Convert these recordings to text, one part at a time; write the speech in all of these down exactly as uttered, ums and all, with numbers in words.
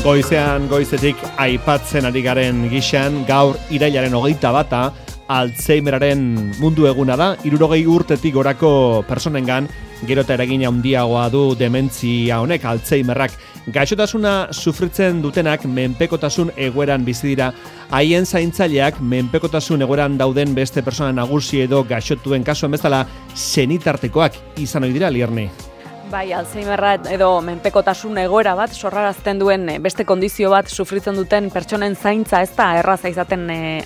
Goizean goizetik aipatzen ari garen gixan, gaur irailaren hogeita bata Alzheimeraren mundu eguna da. Hirurogei urtetik gorako personengan gero eta eragina handiagoa du dementzia honek, Alzheimerrak. Gaixotasuna sufritzen dutenak menpekotasun egoeran bizi dira. Haien zaintzaileak menpekotasun egoeran dauden beste persona nagusi edo gaixotuen kasuen bezala senitartekoak izan ohi dira, Lierne. Bai, Alzheimerra edo menpekotasun egoera bat sorrarazten duen beste kondizio bat sufritzen duten pertsonen zaintza ez da erraza izaten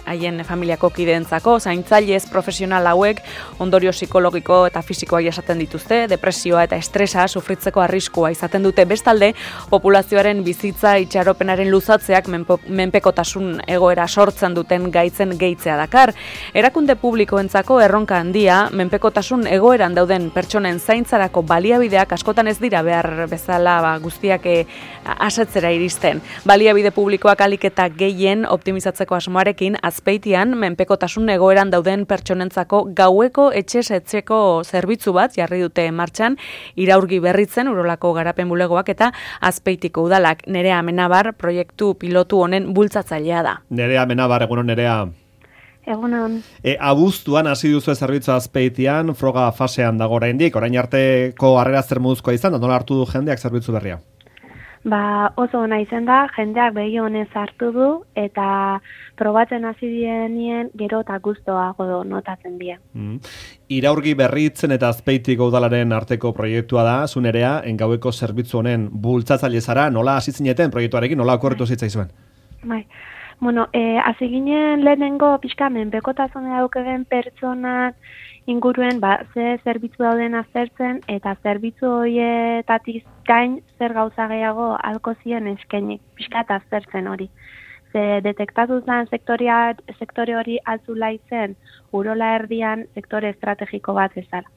haien e, familiako kideentzako. Zaintzailez profesional hauek ondorio psikologiko eta fisikoak jasaten dituzte, depresioa eta estresa sufritzeko arriskua izaten dute. Bestalde, populazioaren bizitza itxaropenaren luzatzeak menpo, menpekotasun egoera sortzen duten gaitzen gehitzea dakar. Erakunde publikoentzako erronka handia, menpekotasun egoeran dauden pertsonen zaintzarako baliabideak askotan ez dira behar bezala ba, guztiak e, asetzera iristen. Baliabide publikoak ahalik eta gehien optimizatzeko asmoarekin Azpeitian menpekotasun egoeran dauden pertsonentzako gaueko etxez etxeko zerbitzu bat jarri dute martxan, Iraurgi Berritzen Urolako Garapen Bulegoak eta Azpeitiko Udalak. Nerea Amenabar proiektu pilotu honen bultzatzailea da. Nerea Amenabar, egunon Nerea. Egunon. E, abuztuan hasi duzu zerbitzu Azpeitian, froga fasean dago oraindik, orain arteko harrera zer moduzkoa izan, da nola hartu du jendeak zerbitzu berria? Ba, oso ona izan da, jendeak begi honez hartu du, eta probatzen hasi dienien gero eta gustoago notatzen die. Mm. Iraurgi Berritzen eta Azpeitiko Udalaren arteko proiektua da, zu Nerea, engaueko zerbitzu honen bultzatzaile zara, nola hasi zineten proiektuarekin, nola okurritu zitzaizuen? Bai. Bueno, eh, hasi ginen lehenengo pixka menpekotasuna daukeen pertsonak inguruen ba, ze zerbitzu dauden aztertzen eta zerbitzu horietatik gain zer gauza gehiago alko zien eskainik, pixka eta aztertzen hori. Ze detektatu zen sektorea, sektore hori altzula izen urola erdian sektore estrategiko bat ezala.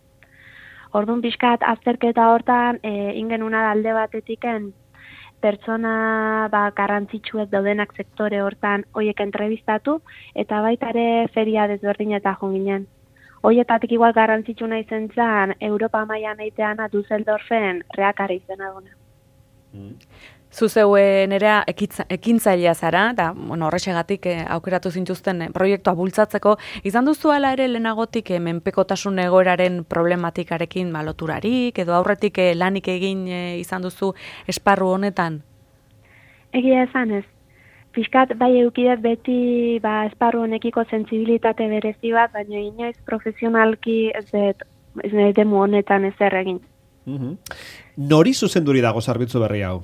Orduan pixkat azterketa hortan e, ingenuna alde batetiken pertsona ba, garrantzitsuek daudenak sektore hortan hoiek entrevistatu eta baita ere feria desberdineta joan ginen. Hoietatik igual garrantzitsu nahi zen zan Europa mailan eiteana Düsseldorfen reakari izena duna. Mm. Zuzeuen ere ekintzailea zara, eta bueno, horrexegatik eh, aukeratu zintuzten eh, proiektua bultzatzeko, izan duzu ala ere lehenagotik eh, menpekotasun egoeraren problematikarekin ba, loturarik, edo aurretik eh, lanik egin eh, izan duzu esparru honetan? Egia esan ez. Piskat bai eukidet beti ba, esparru honekiko sentsibilitate berezi bat, baina inoiz profesionalki ez dut ez demu honetan ezer egin. Mm-hmm. Nori zuzenduri dago zerbitzu berri hau?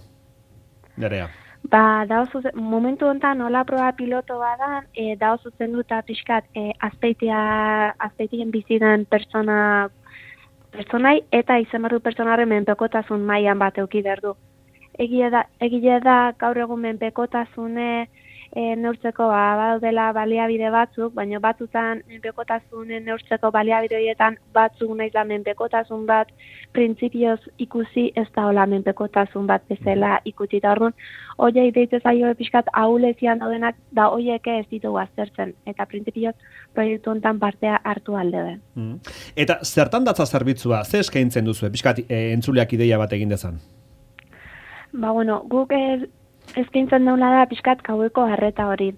Nerea. Ba, dao zuzen, momentu honetan nola proba piloto badan, e, dao zuzenduta pixkat e, azpeitia, azpeitien bizidan pertsona, pertsonai eta izan barru pertsonaren menpekotasun mailan bat euki derdu. Egia da, egia da gaur egun menpekotasune e, neurtzeko ba, badaudela baliabide batzuk, baina batzutan menpekotasunen neurtzeko baliabide horietan batzuk nahiz da menpekotasun bat printzipioz ikusi ez da hola menpekotasun bat bezala ikusi. Eta orduan, hoiei deitze zaio pixkat ahulezian daudenak da hoieke ez ditugu aztertzen. Eta printzipioz proiektu honetan partea hartu alde den. Mm. Eta zertan datza zerbitzua? Ze eskaintzen duzu? Pixkat e, entzuleak ideia bat egin dezan? Ba, bueno, guk ez, eskaintzen daula da pixkat gaueko harreta hori.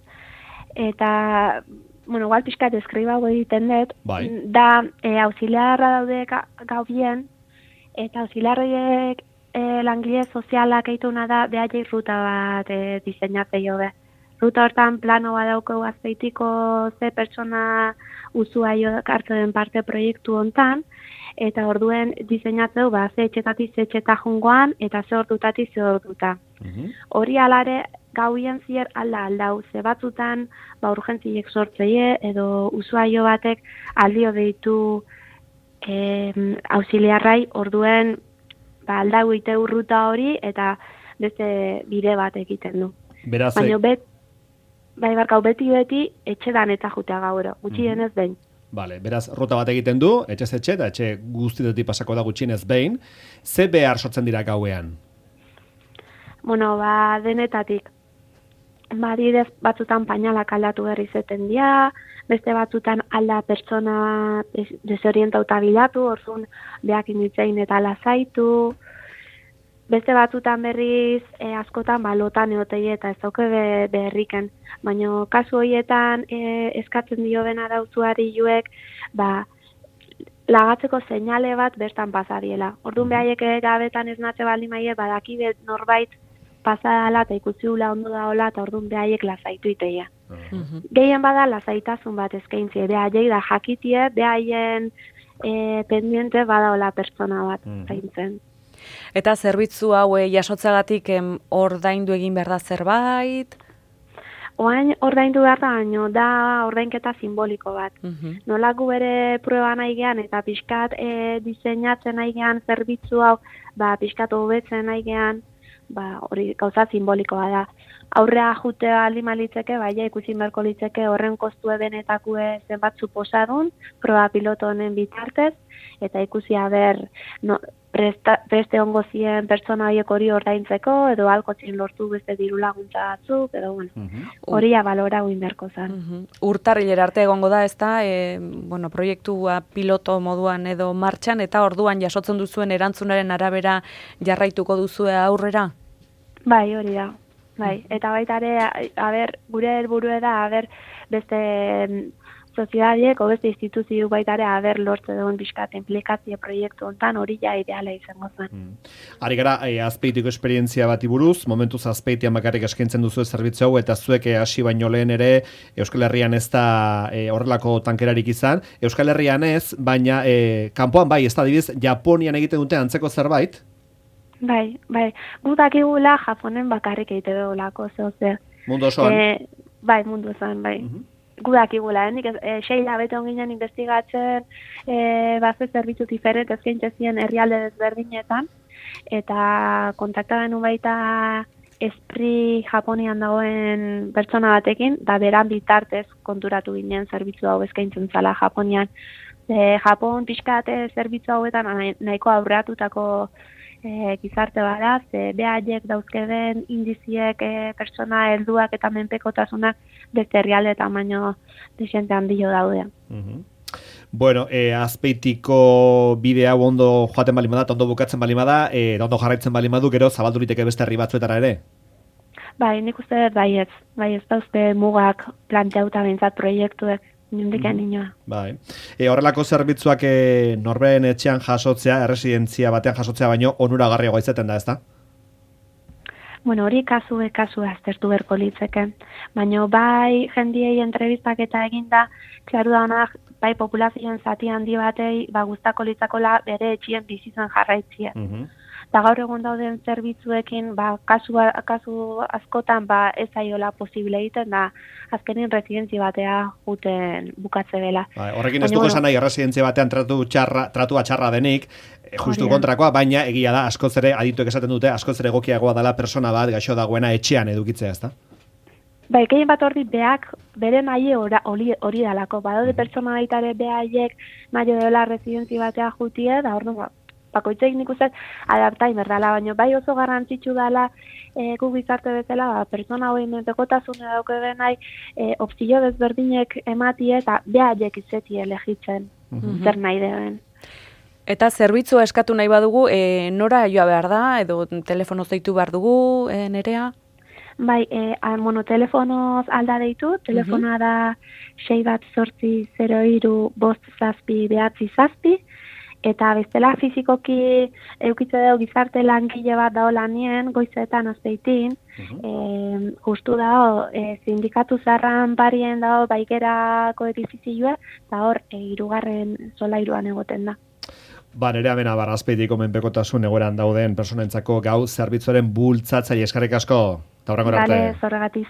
Eta, bueno, igual pixkat eskriba hau egiten dut, bai. Da e, auxiliarra daude ga, gau bien, eta auxiliarriek e, langile sozialak eituna da behaiek ruta bat e, diseinatzea be. Ruta hortan plano bat daukau Azpeitiko ze pertsona usuaio hartu den parte proiektu hontan, eta orduen diseinatzeu ba, ze etxetatik ze etxeta jungoan, eta ze ordutatik ze orduta. Mm-hmm. Hori alare gauien zier alda aldau, ze batzutan ba, urgentziek sortzeie, edo usuaio batek aldio deitu e, auxiliarrai, orduen ba, aldau ite urruta hori, eta beste bide bat egiten du. Beraz, baina bet, bai barkau beti-beti etxedan eta jutea gauro, gutxienez mm-hmm. behin. Vale, beraz, ruta bat egiten du, etxez etxe, eta etxe guztitetik pasako da gutxienez behin. Ze behar sortzen dira gauean? Bueno, ba, denetatik. Ba, adibidez, batzutan painalak aldatu berri zeten dira, beste batzutan alda pertsona desorientauta bilatu, orduan behak inditzein eta lasaitu. beste batzutan berriz e, askotan ba, lotan egoteie eta ez dauke be, berriken. Baina kasu horietan e, eskatzen dio ben arautuari juek, ba, lagatzeko seinale bat bertan pasadiela. Orduan behaiek gabetan ez natze baldin maie, badaki norbait pasadala eta ikusi hula ondo daola eta orduan behaiek lasaitu iteia. Uh-huh. Gehien bada lasaitasun bat eskaintzie, behaiek da jakitie, behaien e, pendiente badaola pertsona bat uh-huh. zaintzen. Eta zerbitzu hau e, jasotzagatik em, ordaindu egin behar da zerbait? Oain ordaindu behar da, baino da ordainketa simboliko bat. Uh-huh. Nolako bere prueba nahi gean eta pixkat e, diseinatzen nahi gean zerbitzu hau, ba, pixkat hobetzen nahi gean, ba, hori gauza simbolikoa da. Aurrea jutea alima litzeke, baina ikusi beharko litzeke horren kostu ebenetakue zenbat suposadun, proba piloto honen bitartez, eta ikusi haber no, presta, preste ongo zien pertsona horiek hori ordaintzeko, edo alkotzin lortu beste diru laguntza batzuk, edo bueno, uh-huh. hori abalora guin beharko zen. Uh-huh. Urtarrilera arte egongo da, ez da, e, bueno, proiektua piloto moduan edo martxan, eta orduan jasotzen duzuen erantzunaren arabera jarraituko duzue aurrera? Bai, hori da. Bai, eta baita ere, a ber, gure helburua da, a ber, beste soziadiek o beste instituzio baita ere, a ber, lortze duen bizkat implikazio proiektu hontan hori ja ideala izango zen. Mm. Ari gara, e, azpeitiko esperientzia bati buruz, momentuz azpeitian bakarrik eskaintzen duzu zerbitzu hau, eta zuek hasi baino lehen ere, Euskal Herrian ez da e, horrelako tankerarik izan. Euskal Herrian ez, baina e, kanpoan bai, ez da dibiz, Japonian egiten dute antzeko zerbait? Bai, bai. Gu dakigula Japonen bakarrik egite dugulako, zehose. Mundu osoan? E, bai, mundu osoan, bai. Uh-huh. Gu dakigula, eh? E, Seila bete onginen investigatzen, e, baze zerbitzu diferent ezkaintzezien herrialde desberdinetan, eta kontaktaren baita Espri Japonian dagoen pertsona batekin, da beran bitartez konturatu ginen zerbitzu hau eskaintzen zala Japonian. E, Japon pixkate zerbitzu hauetan nahiko aurreatutako E, gizarte bada, ze behaiek dauzkeden indiziek e, pertsona helduak eta menpekotasunak beste herrialdeetan baino desente handio daude. Uh-huh. Bueno, e, azpeitiko bidea ondo joaten balin bada, ondo bukatzen balin bada, e, ondo jarraitzen balin badu, gero zabaldu liteke beste herri batzuetara ere? Bai, nik uste dut bai ez, bai ez dauzte mugak planteauta bintzat proiektuek. Nindikan mm. inoa. Bai. E, horrelako zerbitzuak e, norberen etxean jasotzea, erresidentzia batean jasotzea baino onuragarriagoa izaten da, ezta? Bueno, hori kasu kasu aztertu berko litzeke. Baina bai jendiei entrevistak eta eginda, klaru da honak, bai populazioen zati handi batei, ba gustako litzakola bere etxien bizitzen jarraitzia. Mhm. Eta gaur egun dauden zerbitzuekin, ba, kasu, kasu askotan ba, ez aiola posible egiten, da azkenin residentzi batea juten bukatze dela. Ba, horrekin ez dugu esan nahi, residentzi batean tratu txarra, tratua txarra denik, justu kontrakoa, baina egia da, askoz ere, adituek esaten dute, askoz ere egokiagoa dela persona bat, gaixo dagoena etxean edukitzea, ezta? Bai, gehien bat hori beak bere nahi hori hori dalako. Badaude pertsona baitare behaiek nahi dela residentzi batea jutie, da hor bakoitzek nik uste adaptain berdala, baina bai oso garrantzitsu dela e, gu gizarte bezala, ba, pertsona hori menpekotasune dauke denai e, opzio desberdinek ematie eta behaiek izetie elegitzen mm-hmm. zer nahi den. Eta zerbitzua eskatu nahi badugu, e, nora joa behar da, edo telefonoz deitu behar dugu, e, Nerea? Bai, e, bueno, telefonoz alda deitu, telefona da sei bat zortzi zero hiru bost zazpi behatzi zazpi, eta bestela fizikoki eukitze dugu gizarte langile bat dao lanien, goizetan azpeitin, uh-huh. e, justu dao, e, sindikatu zarran parien dao baigerako edifizioa, eta hor, e, irugarren solairuan egoten da. Ba, nire amena barrazpeitiko menpekotasun egoeran dauden personentzako gau zerbitzuaren bultzatzaile eskarrik asko, eta horrengor arte. Bale, zorregatik.